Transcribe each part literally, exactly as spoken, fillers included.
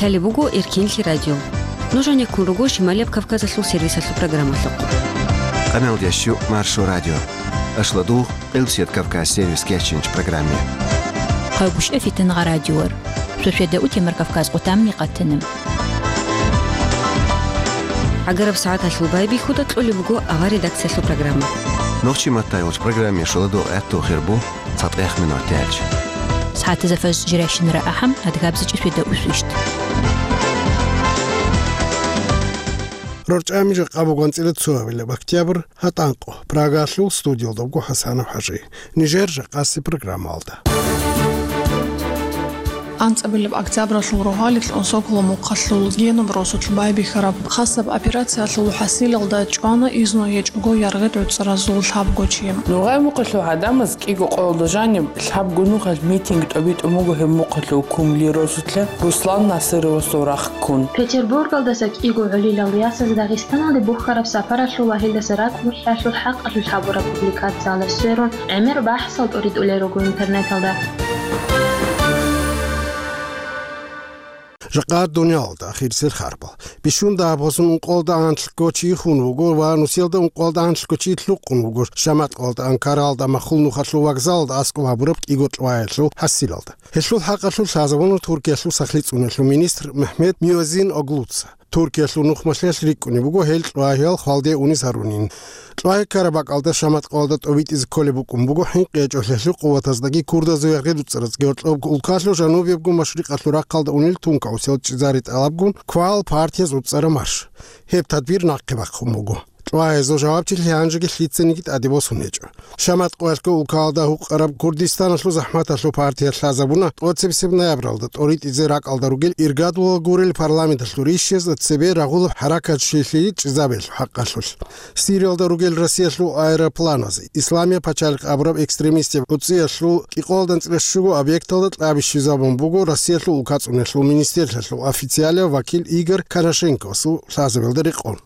Лъалеб буго Эркенлъи радио. Нуж гьанеккун руго Шималияб Кавказалъул сервисалъул программалъухъ. Къаналдящу Маршо радио. Ашладугъ, Къилбсият Кавказ сервис кечинч программе. Къайгъушев Фитангъа радиор. Шошведа утемар Кавказ къутамни къатана. ГӀагараб сагӀаталъул байбихьуда кьолеб буго авар редакциялъул программа. Нохчи маттайолч программе шоладугъ гӀатту хирбу. ЦатӀех минут тяч. СагӀатазда фаж жиращинара ахӀам, адгабзичӀи феда усвищт. РорчӀами жакъа буган цӀира цоабилеб октябрь, гьатӀанкъо, Прагалъул студиялда буго ХӀасанов ХӀажи. Нижер жакъаси программалда. АнцӀабилеб октябралъул рогьалил унсоколо мухъалъул Генуб росулъ байбихьараб хасаб операциялъул хӀасилалда чӀвана изну гьечӀого яргъи-гӀуцӀаразул лъабго чи. Ногъай мухъалъул гӀадамаз кӀиго къоялда жаниб лъабго нухалъ митинг тӀобитӀун буго гьеб мухъалъул Кумли росулъа Руслан Насыровасул рахъ ккун. Петербургалдаса кӀиго гӀолилал ясаз Дагъистаналде бухьараб сапаралъул ва гьелдаса ракӀ бухӀиялъул хӀакъалъулъ гьабураб публикациялда сверун, гӀемер бахӀсал тӀуритӀулел руго интернеталда. Жакъа дуниялалда ахирисел харбал. Бищун дагьаб гъосун ункъоялда анлъго чи хун вуго ва нусиялда ункъоялда анлъго чи лъукъун вуго Шаматкъоялда Анкаралда махул нухалъул вокзалалда аскӀоб гьабураб кӀиго кьваялъул хӀасилалда. Гьелъул хӀакъалъулъ лъазабуна Туркиялъул сахлъицӀуналъул министр Мехмед Миозин Оглуца. Туркиялъул нухмалъиялъ рикӀкӀунеб буго гьел кьвагьиял хвалде унез гьарунин. Кьвагьи ккараб бакӀалда Шаматкъоялда тӀобитӀизе кколеб букӀун буго хӀинкъиячӀолъиялъул къуватаздаги курдазул яргъи-дуцӀараздаги гьоркьоб Улкалъул жанубиябго машрикъалъул рахъалда унел тункаусел чӀезари тӀалабгун квал партияз уцӀцӀараб марш. Гьеб тадбир нахъе бахъун буго. Кьвагьазул жавабчилъи гьанжеги лъицаниги тӀаде босун гьечӀо. Шаматкъоялъго улкалда гьукъараб Курдистаналъул захӀматалъул партия лъазабуна тӀоцебесеб ноябралда тӀоритӀизе ракӀалда ругел иргадула гурел парламенталъул рищазда цебе рагъулаб хӀаракатчилъи чӀезабиялъул хӀакъалъулъ. Сириялда ругел Россиялъул аэропланаз Исламияб пачалихъ абураб экстремистияб гӀуцӀиялъул кӀикъоялда анцӀила щуго объекталда кьаби щвезабун буго Россиялъул улкацӀуналъул министрлъиялъул официалияв вакил Игорь Конашенковасул лъазабиялда рекъон.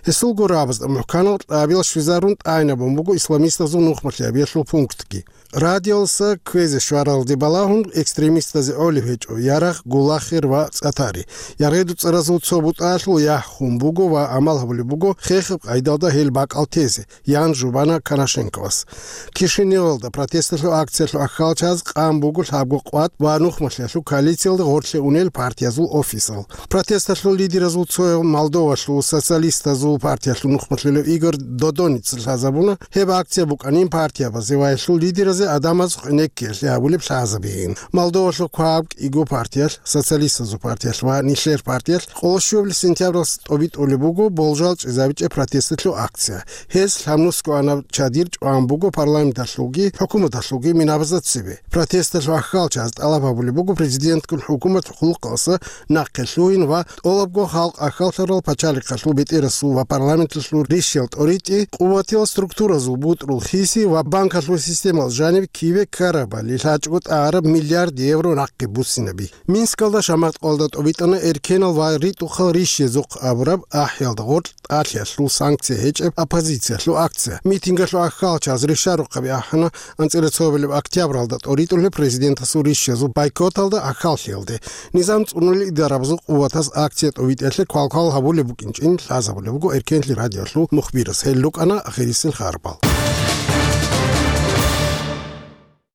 Гьесул гурабазда мухӀканал кьабиял щвезарун тӀайнабун буго исламистазул нухмалъиябиялъул пунктги. Радиоялдаса кквезе щваралде балагьун, экстремистазе гӀолеб гьечӀо ярагъ, гулахир ва цӀатари. Яргъи-дуцӀаразул цо бутӀаялъул яхӀ хун буго ва амал гьабулеб буго хехаб къайдалда гьел бакӀал тезе, ян жубана Конашенковас. Кишиневалда протесталъул акциялъул аххалчаз къан буго лъабго къват ва нухмалъиялъул коалициялда гъорлъе унел партиязул офисал. Протесталъул лидеразул цояв Молдовалъул социалистазул партиялъул нухмалъулев Игорь Додоница лъазабуна, гьеб акция букӀанин партиябазе ва гьелъул лидеразе гӀадамаз къинеккиялъе гьабулеб лъазабигин. Молдовалъул кваб кӀиго партиялъ, социалистазул партиялъ ва нилъер партиялъ, къоло щуабилеб сентябралъ тӀобитӀулеб буго болжал чӀезабичӀеб протесталъул акция. Гьез лъабнусго анаб чадир чӀван буго парламенталъулги хӀукуматалъулги минабазда цебе. Протесталъул аххалчаз тӀалаб гьабулеб буго президентгун хӀукумат хъулухъалдаса нахъе лъугьин ва тӀолабго халкъ аххаллъарал пачалихъалъул бетӀерасул ва парламенталъул рищал тӀоритӀи, къуватиял структуразул бутӀрул хиси ва банкалъул системал жаниб киве ккарабали лъачӀого тӀагӀараб миллиард евро нахъе буссинаби. Минскалда Шаматкъоялда тӀобитӀана эркенал ва ритӀухъал рищезухъ абураб ахӀиялда гъоркь тӀалъиялъул санкция гьечӀеб оппозициялъул акция. Митингалъул аххалчаз ришарухъаби ахӀана анцӀила цоабилеб октябралда тӀоритӀулеб президентасул рищезул бойкоталда аххаллъиялде. Низам цӀунулел идарабазул къуватаз акция тӀобитӀиялъе квалквал гьабулеб букӀинчӀин лъазабулеб буго Эркенлъи радиолъул мухбирас. Гьел рукӀана ахирисел харбал.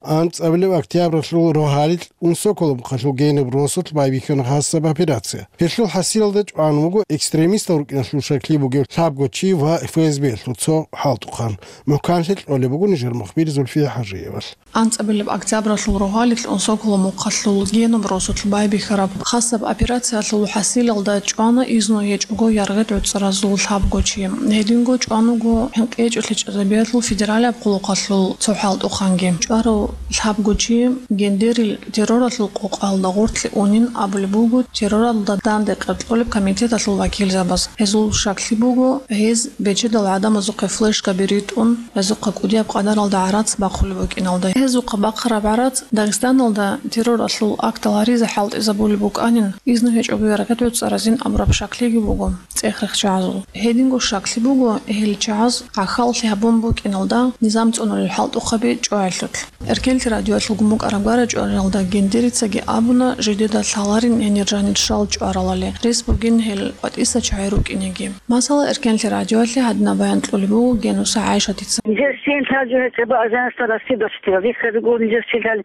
АнцӀабилеб октябралъул рогьалил унсоколобхъалъул генаб росулъ байбихьана хасаб операция. Гьелъул хӀасилалда чӀван вуго экстремистал рукӀиналъул шакли бугев лъабго чи ва ФСБ-ялъул цо хӀалтӀухъан. МухӀканлъи кьолеб буго нижер мухбир Зульфия ХӀажиевалъ. АнцӀабилеб октябралъул рогьалил унсоколо мухъалъул генаб росулъ байбихьараб хасаб операциялъул хӀасилалда чӀвана изну гьечӀого яргъи-гӀуцӀаразул лъабго чи. Гьединго чӀван вуго хӀинкъи гьечӀолъи чӀезабиялъул федералияб хъулухъалъул цо хӀалтӀухъанги. ЧӀварав лъабго чи гендерил терроралъул къокъалда гъортлъи унин абулеб буго, терроралда данде къеркьолеб комитеталъул вакилзабаз. Гьезул шаклъи буго, гьез бечедал гӀадамазухъе флешкаби ритӀун, гьезухъа кӀудияб къадаралда гӀарац бахъулеб букӀиналда. Гьезухъа бахъараб гӀарац Дагъистаналда терроралъул актал гьаризе хӀалтӀизабулеб букӀанин, изну гьечӀого яргъи-гӀуцӀаразин абураб шаклъиги буго цӀех-рехчагӀазул. Гьединго шаклъи буго, гьел чагӀаз гӀахьаллъи гьабун букӀиналда низам цӀунулел хӀалтӀухъаби чӀваялъулъ. Эркенлъи радиоялъул гумбукӀараб гара-чӀваралда Гендерицаги абуна, жидеда лъаларин гьенир жанир щал чӀваралали, рес бугин гьел къватӀиса чагӀи рукӀинеги. Масала, Эркенлъи радиоялъе гьадинаб баян кьулеб буго Генуса ГӀайшатица. Нижер щин лъал жо гьечӀеб ажанасда Россиялъ риххаригу, нижер щин лъал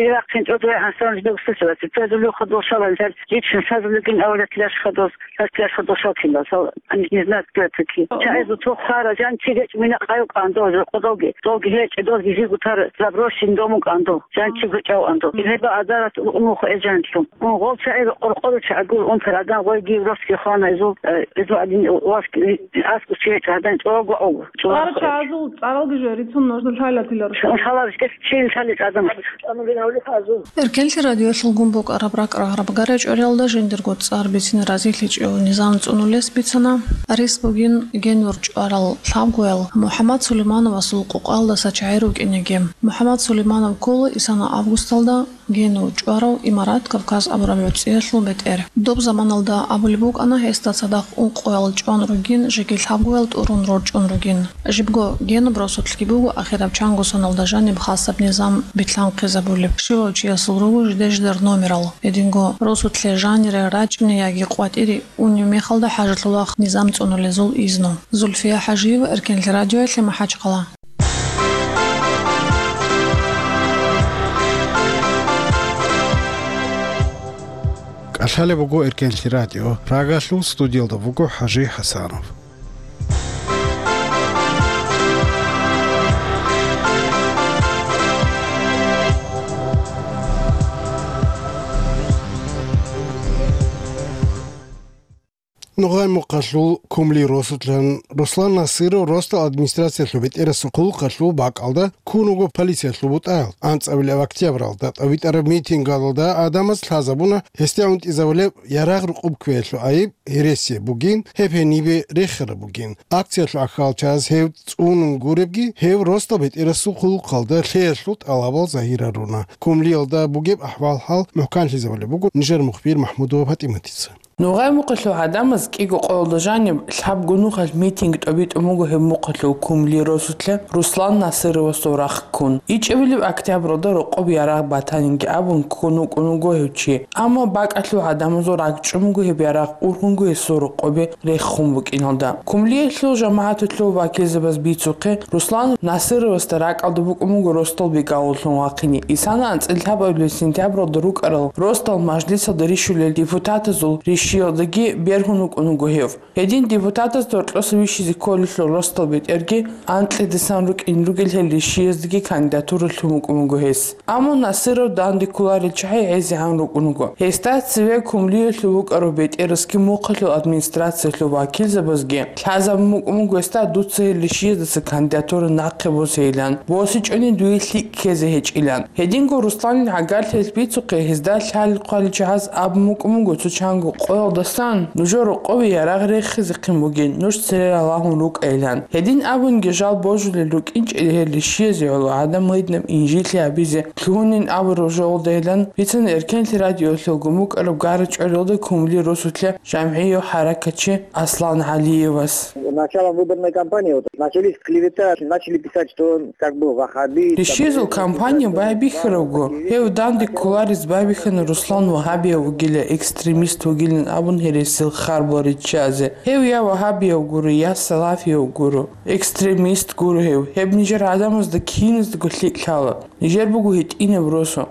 Иракъ чӀодой гӀасан жидер гусесаласе, цо жулухъа дошалан лъал жичин сазулигин авлет лъашха дос. Гьас яшха дошал кинал, сал, они не знают, кто это такие. Ага. ЧагӀазул цо хвара, жан чи гьечӀ мина къайо кӀандо, жо къодолги, долги гьечӀ, долги жигу тар заброшен дому кӀандо, жан чи гьечӀав андо. Мгм. Гьеба азарат умуху эжанлъу. Ун гъол чагӀи къоркъору чагӀгур, ун пер адам гъой гив росги хвана изул, э, изу адин васки, аску чи гьечӀ гьадан чӀого ого. ЦӀар чагӀазул, цӀаралги жо рицун нужда лъайлатилар. Ун халар шкес чи лъали адам. Эркенлъи радиоялъул гумбукӀараб ракӀ-рагъараб гара-чӀваралда жиндирго цӀар бицин разилъичӀев низам цӀунулес бицана, рес бугин генур чӀварал лъабгоял МухӀаммад Сулеймановасул къукъалдаса чагӀи рукӀинеги. МухӀаммад Сулейманов ккола исана августалда генур чӀварав Имарат Кавказ абураб гӀуцӀиялъул бетӀер. Доб заманалда абулеб букӀана гьесда цадахъ ункъоял чӀван ругин, жеги лъабгоял тӀурун рорчӀун ругин. Жибго генуб росулъги буго ахираб чанго соналда жаниб хасаб низам битлъанхъизабулеб. Щивав чиясул руго жиде-жидер номерал. Гьединго росулъе жанире рачӀине яги къватӀире унеб мехалда хӀажалъулахъ низам цӀунулезул изну. Зульфия ХӀажиева, Эркенлъи радиоялъе, МахӀачхъала. КӀалъалеб буго Эркенлъи радио. Рагалъул студиялда вуго ХӀажи ХӀасанов. Ногъай-Мухъалъул Кумли росулъан Руслан Насыров росдал администрациялъул бетӀерасул хъулухъалъул бакӀалда ккун вуго полициялъул бутӀаялъ. АнцӀабилеб октябралда тӀадвитӀараб митингалда гӀадамаз лъазабуна гьесде гӀунтӀизабулеб ярагъ-рукъуб кквеялъул айиб гьересияб бугин, гьеб гьенибе рехараб бугин. Акциялъул ахьалчаз гьев цӀунун гуребги, гьев росдал бетӀерасул хъулухъалда лъеялъул тӀалабал загьирал руна. Кумлиялда бугеб ахӀвал-хӀал мухӀканлъизабулеб буго нижер мухбир МахӀмудова ПатӀиматица. Ногъай-Мухъалъул гӀадамаз кӀиго къоялда жаниб лъабго нухалъ митинг тӀобитӀун буго гьеб мухъалъул Кумли росулъа Руслан Насыровасул рахъ ккун. ИчӀабилеб октябралда рокъоб ярагъ батанинги абун ккун вукӀун вуго гьев чи. Амма бакӀалъул гӀадамазул ракӀчӀун буго гьеб ярагъ ургьунго гьесул рокъобе рехун букӀиналда. Кумлиялъул жамагӀаталъул вакилзабаз бицухъе, Руслан Насыровасда ракӀалда букӀун буго росдал бигавуллъун вахъине. Исана анцӀила лъабабилеб сентябралда рукӀарал росдал мажлисалда рищулел депутатазул ришиялдаги бергьун вукӀун вуго гьев. Гьедин депутатазда гьоркьоса вищизе кколелъул росдал бетӀерги анкьидасан рукӀин ругел гьел ришияздаги кандидатура лъун вукӀун вуго гьес. Амма Насыров данде кколарел чагӀи гӀезегӀан рукӀун вуго. Гьесда цеве Кумлиялъул вукӀарав бетӀерасги мухъалъул администрациялъул вакилзабазги лъазабун букӀун буго гьесда дуца гьел ришияздаса кандидатура нахъе босейилан, босичӀони дуе лъикӀ ккезе гьечӀилан. Гьединго Русланил гӀагарлъиялъ бицухъе гьезда лъалел-хъвалел чагӀаз абун букӀун буго цо чанго къоялдасан нужер рокъове ярагъ рехизехъин бугин, нуж цере ралагьун рукӀайилан. Гьедин абунги жал божулел рукӀинчӀели гьел ришиязе гӀоло гӀадамал гьединаб инжитлъи гьабизе лъугьунин абураб жолдайилан бицана Эркенлъи радиоялъул гумбукӀараб гара-чӀваралда Кумли росулъа жамгӀияв хӀаракатчи Аслан ГӀалиевас. Началом выборной кампании вот начались клевета, начали писать, что он как бы ваххабист. Ришиязул кампания байбихьарабго, гьев данде кколарез байбихьана Руслан вагьабияв вугила, экстремист вугилан абун гьересил харбал риччазе. Гьев я вагьабияв гуро, я салафияв гуро, экстремист гуро гьев. Гьеб нижер гӀадамазда киназдаго лъикӀ лъала. Нижер буго гьитӀинаб росу.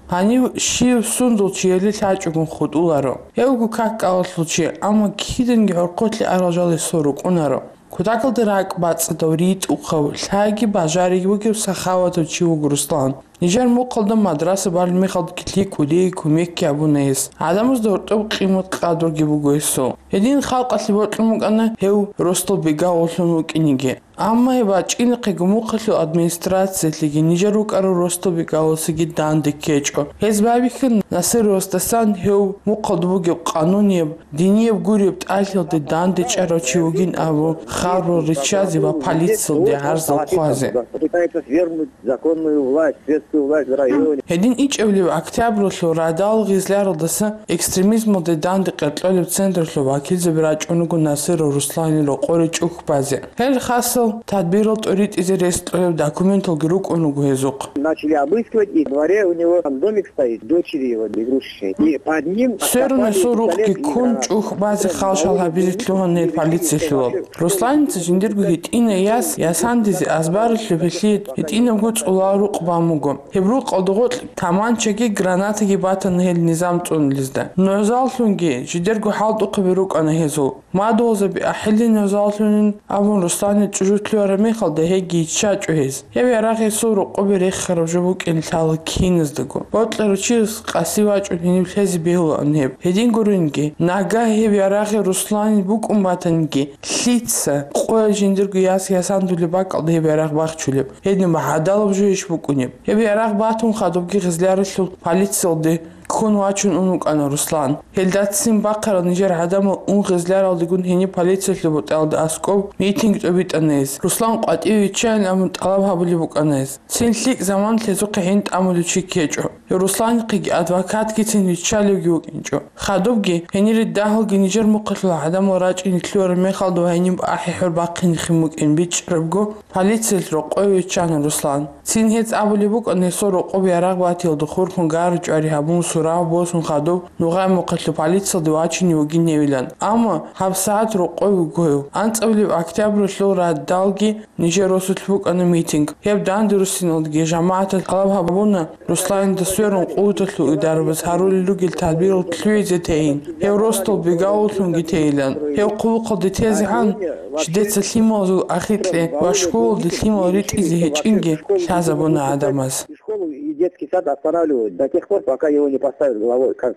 Гьанив щив сундул чияли лъачӀогун хутӀуларо. Гьев вуго как-кӀалалъул чи, амма киданги гӀорхъулъе арал жал гьесул рукӀунаро. Кутакалда ракӀбацӀцӀадав, ритӀухъав, лъайги бажариги вугев сахаватав чи вуго Руслан. Нижер мухъалда мадраса балеб мехалдаги лъикӀ кӀудияй кумекги гьабуна гьес. ГӀадамазда гьоркьоб къимат-къадруги буго гьесул. Гьедин халкъалъе бокьун букӀана гьев росдал бигавуллъун вукӀинеги. Амма гьеб бачӀинахъего мухъалъул администрациялъеги нижер рукӀарал росдал бигавуллъиги данде ккечӀо. Гьез байбихьана Насыровасдасан гьев мухъалда бугеб къанунияб, динияб гуреб тӀалъиялде данде чӀарав чи вугин абун харбал риччазе ва полициялде гӀарзал хъвазе. Пытается свергнуть законную власть, свергнуть Власть в районе. Гьедин ичӀабилеб октябралъул радал гъизляралдаса экстремизмалде данде къеркьолеб центрлъул вакилзаби рачӀун руго Насиров Русланил рокъоре чӀухь базе. Гьел хасал тадбирал тӀоритӀизе рес кьолеб документалги рукӀун руго гьезухъ. Начали обыскивать, и в дворе у него там домик стоит, дочери его игрушечный. И под ним Сверун гьесул рукъги ккун чӀухь базе халшал гьабизе лъугьана гьел полициялъул. Русланица жиндирго гьитӀинай яс ясандизе азбаралъуб гьелъие гьитӀинабго цӀулал рукъ бан буго. Гьеб рукъалда гъоркь таманчаги гранатаги батана гьел низам цӀунулезда. НугӀзаллъунги жидерго хӀалтӀухъаби рукӀана гьезул. Мадугьалзаби ахӀилин нугӀзаллъунин абун Русланил чӀужу лъугьараб мехалда гьейги иччачӀо гьез. Гьеб ярагъ гьесул рокъобе рехараб жо букӀин лъала киназдаго. Бокьарав чияс къаси вачӀун гьенив лъезе бегьулаан гьеб. Гьедин гуринги, нагагь гьеб ярагъи Русланил букӀун батаниги, лъица къоял жиндирго яс ясандулеб бакӀалда гьеб ярагъ бахчулеб? Гьедин гьадалаб жо иш букӀунеб? Гьеб ярагъ батун хадубги гъизляралъул полициялде ккун вачун ун вукӀана Руслан. Гьелдацин бахъарал нижер гӀадамал ун гъизляралдегун гьениб полициялъул бутӀалда аскӀоб митинг тӀобитӀана гьез. Руслан къватӀиве виччайин абун тӀалаб гьабулеб букӀана гьез. Цин лъикӀ заман лъезухъе гьин тӀамулев чи ккечӀо. Гьев Русланихъеги адвокатгицин виччалевги вукӀинчӀо. Хадубги, гьенире дагьалги нижер мухъалъул гӀадамал рачӀине лъугьараб мехалда ва гьениб ахӀи-хӀур бахъинихъин букӀин бичӀчӀарабго, полициялъ рокъове виччана Руслан. Цин гьез абулеб букӀана гьесул рокъоб ярагъ батиялда хурхун гару-чӀвари гьабун, сурав босун хадуб, нугъай мухъалъул полициялде вачине вугин гьевилан. Амма гьабсагӀат рокъове вуго гьев. АнцӀабилеб октябралъул радалги нижер росулъ букӀана митинг. Гьеб данде руссиналдаги жамагӀаталъ тӀалаб гьабуна Русланида сверун къуваталъул идарабаз гьарулел ругел тадбирал лъугӀизе тейин, гьев росдал бегавуллъунги тейилан. Гьев хъулухъалде тезегӀан, жидеца лъималазул ахикье ва школалде лъимал ритӀизе гьечӀинги лъазабуна гӀадамаз. И школу, и детский сад останавливают до тех пор, пока его не поставят главой, как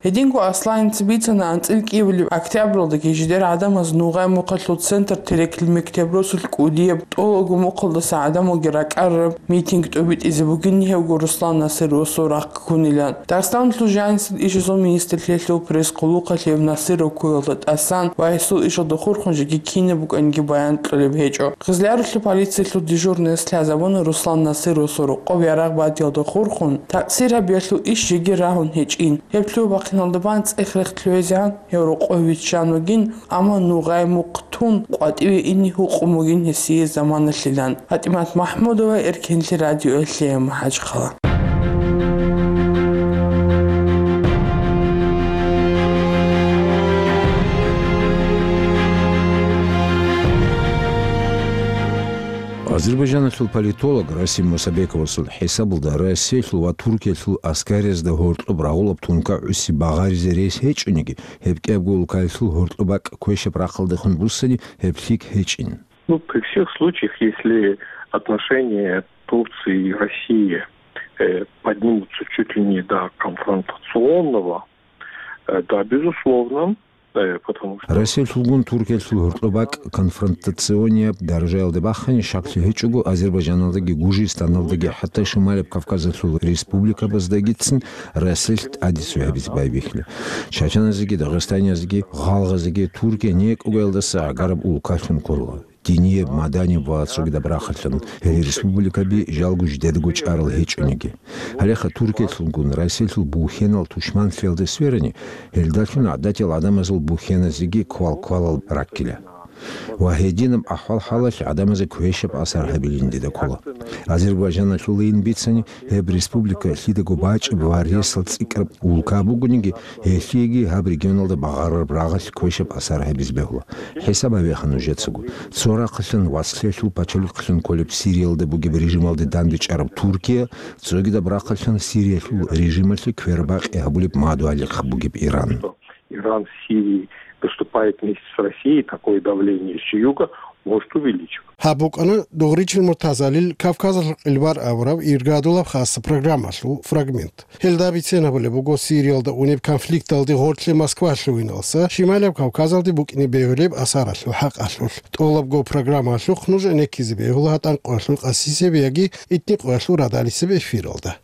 Гьединго Асланица бицана анцӀил кӀиабилеб октябралдаги жидер гӀадамаз нугъай мухъалъул центр Терекил мектеб росулъ кӀудияб тӀолабго мухъалдаса гӀадамалги ракӀарараб митинг тӀобитӀизе бугин гьевго Руслан Насировасул рахъ ккунилан. Дагъистаналъул жанисел ишазул министрлъиялъул пресс-хъулухъалъ гьев Насиров ккуялда тӀасан ва гьесул ишалда хурхун жеги кинаб букӀаниги баян кьолеб гьечӀо. Гъизлярулъул полициялъул дежурныяс лъазабуна Руслан Насировасул рокъоб ярагъ батиялда хурхун, такъсир гьабиялъул иш жеги рагьун гьечӀин. Гьеб лъугьа-бахъиналда бан цӀех-рех лъугӀизегӀан гьев рокъове виччан вугин, амма нугъай мухъ тун къватӀиве ине гьукъун бугин гьесие заманалъилан. ПатӀимат МахӀмудова, Эркенлъи радиоялъе, МахӀачхъала. Азербайжаналъул политолог Расим Мусабековасул хӀисабалда, Россиялъул ва Туркиялъул аскариязда гьоркьоб рагъулаб тункагӀуси багъаризе рес гьечӀониги, гьеб кӀиябго улкаялъул гьоркьоб бакӀ квешаб рахъалдехун буссани, гьеб лъикӀ гьечӀин. Ну, при всех случаях, если отношения Турции и России, э, поднимутся чуть ли не до конфронтационного, э, да, безусловно, э, потому что Россиялъулгун Туркиялъул гьоркьоб бакӀ конфронтационияб даражаялде бахъани, щаклъи гьечӀого, Азербайжаналдаги Гужистаналдаги, хӀатта Шималаб Кавказалъул республикабаздагицин Россиялъ тӀаде цо гьабизе байбихьила. Чачаназеги, дагъистаниязеги, гъалгъазеги Туркия некӀугаялдаса гӀагараб улкалъун ккола. Динияб, маданияб ва цогидаб рахъалъан гьел республикаби жалго жидедаго чӀарал гьечӀониги. Гьалеха Туркиялъулгун Россиялъул бухьенал тушманлъиялда сверани, гьелдалъун гӀадатиял гӀадамазул бухьеназеги квал-квалал раккила. Ва гьединаб ахӀвал-хӀалалъ гӀадамазе квешаб асар гьабилин дида ккола. Азербайжаналъулайин бицани, гьеб республика лъидаго бачӀеб ва ресал цӀикӀкӀараб улка бугониги, гьелъиеги гьаб регионалда багъарараб рагъалъ квешаб асар гьабизе бегьула. ХӀисаб гьабеха нужецаго. Цо рахъалъан вацлъиялъул пачалихълъун кколеб Сириялда бугеб режималде дандечӀараб Туркия, цогидаб рахъалъан Сириялъул режималъе квербакъи гьабулеб мадугьалихъ бугеб Иран. Иран в Сирии выступает вместе с Россией, такое давление с юга может увеличиваться. Гьаб букӀана Дугъричил Муртазалил Кавказалъул къилбар абураб иргадулаб хасаб программалъул фрагмент. Гьелда бицен абулеб буго Сириялда унеб конфликталде гъорлъе Москва лъугьиналса Шималаб Кавказалде букӀине бегьулеб асаралъул хӀакъалъулъ. ТӀолабго программалъухъ нуж гӀенеккизе бегьула гьатӀан къоялъул къасисеб яги итни къоялъул радалисеб эфиралда.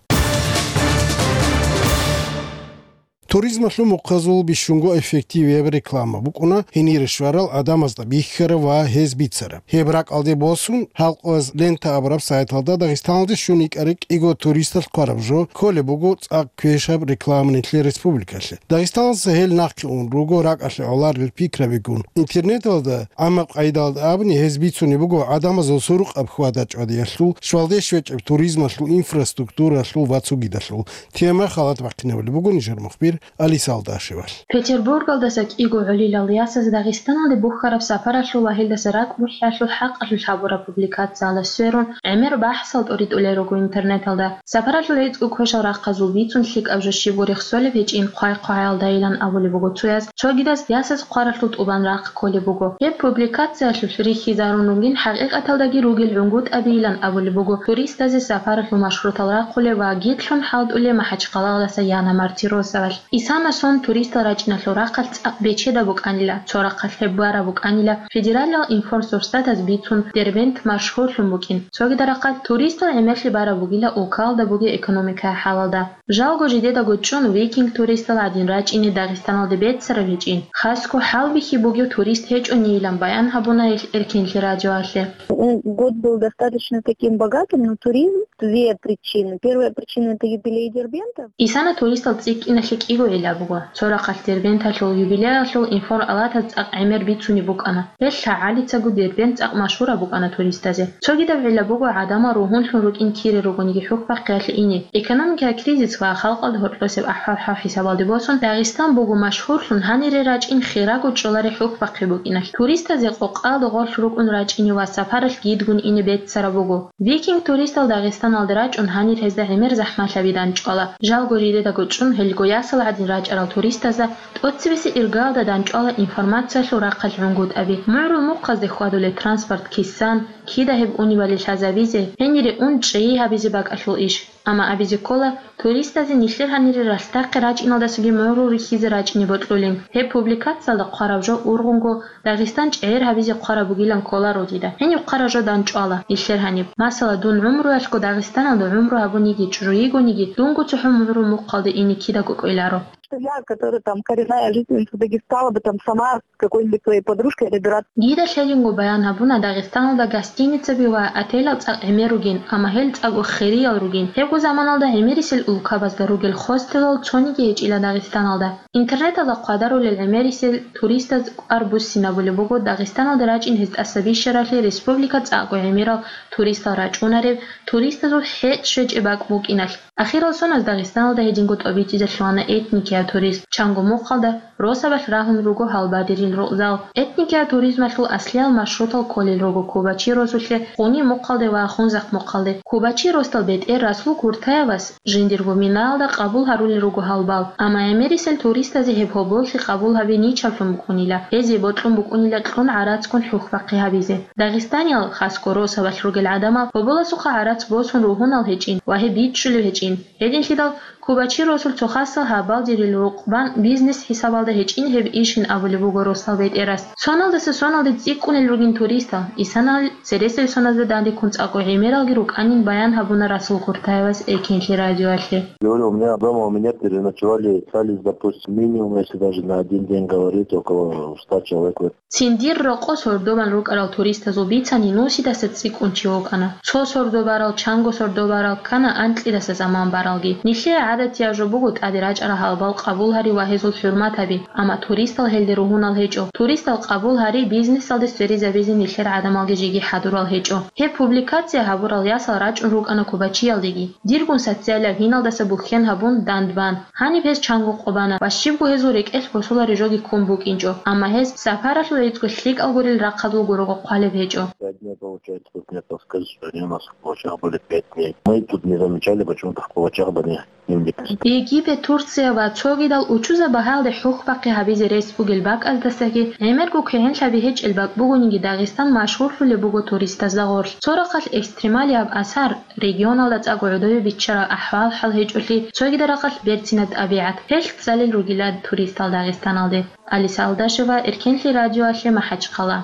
Туризмалъул мухъазул бищунго эффективияб реклама букӀуна гьенире щварал гӀадамазда бихьараб ва гьез бицараб. Гьеб ракӀалде босун, гьалкъояз лента абураб сайталда Дагъистаналде щун йикӀарай кӀиго туристалъ хъвараб жо кколеб буго цӀакъ квешаб реклама нилъер республикалъе. Дагъистаналдаса гьел нахъе ун руго ракӀалъе гӀоларел пикрабигун. Интернеталда, гӀаммаб къайдалда абуни, гьез бицунеб буго гӀадамазул сурукъаб хьвада-чӀвадиялъул, щвалде щвечӀеб туризмалъул инфраструктуралъул ва цогидалъул. Тема халат бахъинабулеб буго нижер мухбир Алиса Алдашевалъ. Петербургалдаса кӀиго гӀолилал ясаз Дагъистаналде бухьараб сапаралъул ва гьелдаса ракӀ бухӀиялъул хӀакъалъулъ гьабураб публикациялда сверун, гӀемер бахӀсал тӀуритӀулел руго интернеталда. Сапаралъул гӀицӀго квешал рахъазул бицун лъикӀаб жо щибго рехсолеб гьечӀин хъвай-хъвагӀаялдайилан абулеб буго цояз, цогидаз ясаз хъваралъул тӀубан рахъ кколеб буго. Гьеб публикациялъулъ рихьизарун ругин хӀакъикъаталдаги ругел гӀунгутӀабийилан абулеб буго туристазе сапаралъул маршрутал рахъулев ва гитлъун хӀалтӀулев МахӀачхъалагъалдаса Яна Мартиросовалъ. Исана сон туристал рачӀиналъул рахъалъ цӀакъ бечедаб букӀанила, цо рахъалъ гьеб бараб букӀанила федералияб информсурсатаз бицун Дербент машгьурлъун букӀин, цогидал рахъалъ туристал гӀемерлъи бараб бугила улкалда бугеб экономикаяб хӀалалда. Жалго жидедаго чӀун викинг туристал гӀадин рачӀине Дагъистаналде беццараб гьечӀин, хасго хӀалбихьи бугев турист гьечӀонийилан баян гьабуна гьелъ Эркенлъи радиоялъе. М, год был достаточно таким богатым, но туризм, две причины. Первая причина — это юбилей Дербента. Исана туристал цӀикӀкӀиналъе кӀиго гӀилла буго. Цо рахъалъ Дербенталъул юбилеялъул информсурсатаз цӀакъ гӀемер бицунеб букӀана. Гьелъ лъагӀалицаго Дербент цӀакъ машгьураб букӀана туристазе. Цогидаб гӀилла буго гӀадамал ругьунлъун рукӀин кире ругониги хӀухьбахъиялъе ине. Экономикаялъул кризис ва халкъалда гьоркьосеб ахӀвал-хӀал хӀисабалде босун, Дагъистан буго машгьурлъун гьанире рачӀин хирого чӀолареб хӀухьбахъи букӀиналъ. Туристазе къокъалда гъорлъ рукӀун рачӀине ва сапаралъ гидгун ине беццараб буго. Викинг туристал Дагъистаналде рачӀун гьанир гьезда гӀемер захӀмалъаби данчӀвала. Жалго жидедаго чӀун гьелго ясал гӀадин рачӀарал туристазда тӀоцебесеб иргаялда данчӀвала информациялъул рахъалъ гӀунгутӀаби, мугӀрул мухъазде хьвадулеб транспорт кисан, кида гьеб унебали лъазабизе, гьенире ун чӀей гьабизе бакӀалъул иш. Амма абизе ккола, туристазе нилъер гьанире ралъдахъе рачӀиналдасаги мугӀрул рихьизе рачӀине бокьулин. Гьеб публикациялда хъвараб жо ургъунго Дагъистан чӀегӀер гьабизе хъвараб бугилан кколаро дида. Гьениб хъвараб жо данчӀвала нилъер гьаниб. Масала, дун гӀумруялъго Дагъистаналда гӀумру гьабун йигичӀо, йигониги, дунго цохӀо мугӀрул мухъалде ине кидаго кӀвеларо. Что я, которая там коренная жительница Дагестана, бы там сама с какой-нибудь своей подружкой добираться. Дида лъелинго баян гьабуна Дагъистаналда гостиницаби ва отелал цӀакъ гӀемер ругин, амма гьел цӀакъго хириял ругин. Гьебго заманалда гӀемерисел улкабазда ругел хостелал цониги гьечӀила Дагъистаналда. Интернеталда хъвадарулел гӀемерисел туристаз кӀвар буссинабулеб буго Дагъистаналде рачӀин гьез тӀаса бищаралъе республика цӀакъго гӀемерал туристал рачӀунареб, туристазул хӀетӀ щвечӀеб бакӀ букӀиналъ. Ахирал соназ Дагъистаналда гьединго тӀобитӀизе лъугьана этникияв туризм, чанго мухъалда росабалъ рагьун руго гьалбадерил рукъзал. Этникияв туризмалъул аслиял маршрутал кколел руго Кубачи росулъе, Къуни мухъалде ва Хунзахъ мухъалде. Кубачи росдал бетӀер Расул Куртаевас жиндирго минаялда къабул гьарулел руго гьалбал, амма гӀемерисел туристазе гьеб гьоболлъи къабул гьабизе ничаблъун букӀунила, гьезие бокьун букӀунила кьун гӀарацгун хӀухьбахъи гьабизе. Дагъистаниял, хасго росабалъ ругел гӀадамал, гьоболасухъа гӀарац босун ругьунал гьечӀин ва гьеб бичӀчӀулеб гьечӀин. Гьединлъидал Кубачи росул цо хасал гьабалдерил рукъ бан бизнес хӀисабалда гьечӀин гьеб ишин абулеб буго росдал бетӀерас. Соналдаса соналде цӀикӀкӀунел ругин туристал, исанал цересел соназда дандеккун цӀакъго гӀемералги рукӀанин баян гьабуна Расул Куртаевас Эркенлъи радиоялъе. Говорю, у меня дома, у меня переночевали, остались, допустим, минимум, если даже на один день говорить, около ста человек. Цин дир рокъо сордобан рукӀарал туристазул бицани нусидаса цӀикӀкӀун чи вукӀана. Цо сордо барал, чанго сордо барал, ккана анкьидаса заман баралги. Нилъее гӀадатияб жо буго тӀаде рачӀарал гьалбал къабул гьари ва гьезул хӀурмат гьаби, амма туристал гьелде ругьунал гьечӀо. Туристал къабул гьари бизнесалде сверизабизе нилъер гӀадамалги жеги хӀадурал гьечӀо. Гьеб публикация гьабурал ясал рачӀун рукӀана Кубачиялдеги. Диргун социалияб гьиналдаса бухьен гьабун дандбан, гьаниб гьез чанго къо бана ва щибго гьезул рекӀелъ босулареб жоги ккун букӀинчӀо, амма гьез сапаралъул гӀицӀго лъикӀал гурел рахъалда гурого хъвалеб гьечӀо. Пять дней, получается, тут не подскажешь, что они у нас в Кубачах были пять дней. Мы тут не замечали почему-то в Кубачах были дневник. Египет, Турция ва цогидал учузаб багьаялде хӀухьбахъи гьабизе рес бугел бакӀаздасаги гӀемерго кигӀенлъаби гьечӀел бакӀ бугониги Дагъистан машгьурлъулеб буго туристазда гъорлъ. Цо рахъалъ экстремалияб асар, регионалда цӀакъго гӀодове биччараб ахӀвал-хӀал гьечӀолъи, цогидал рахъалъ берцинаб тӀабигӀат, гьелъ цӀалел ругила туристал Дагъистаналде. Алиса Алдашева, Эркенлъи радиоялъе, МахӀачхъала.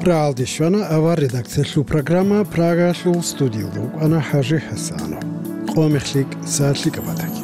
Прагьалде щвана авар редакциялъул программа. Прагаялъул студиялда вукӀана ХӀажи ХӀасанов. Къо мехлъи кӀиса лъикӀаб батаги.